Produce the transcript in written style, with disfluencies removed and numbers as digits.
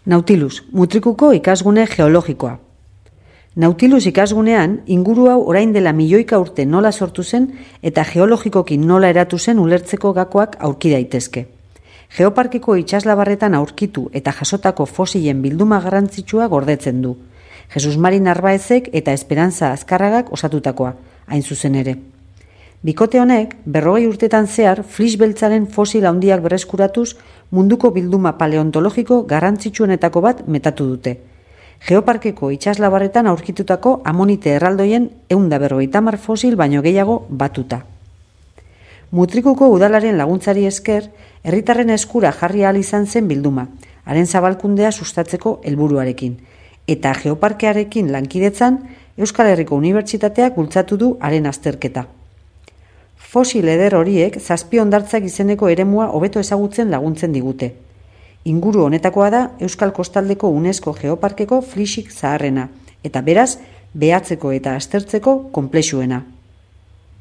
Nautilus, Mutrikuko ikasgune geologikoa. Nautilus ikasgunean, inguru hau orain dela milioika urte nola sortu zen eta geologikoki nola eratu zen ulertzeko gakoak aurki daitezke. Geoparkeko itsaslabarretan aurkitu eta jasotako fosilen bilduma garrantzitsua gordetzen du. Jesus Mari Narbaezek eta Esperantza Azkarragak osatutakoa, hain zuzen ere. Bikote honek, 40 urtetan zehar, flis beltzaren fosil handiak berreskuratuz munduko bilduma paleontologiko garrantzitsuenetako bat metatu dute. Geoparkeko itsaslabarretan aurkitutako amonite erraldoien 150 fosil baino gehiago batuta. Mutrikuko udalaren laguntzari esker, herritarren eskura jarri ahal izan zen bilduma, haren zabalkundea sustatzeko helburuarekin, eta geoparkearekin lankidetzan Euskal Herriko Unibertsitateak bultzatu du haren azterketa. Fosil eder horiek zazpi hondartzak izeneko eremua hobeto ezagutzen laguntzen digute. Inguru honetakoa da Euskal Kostaldeko UNESCO Geoparkeko flisik zaharrena, eta beraz, behatzeko eta aztertzeko konplexuena.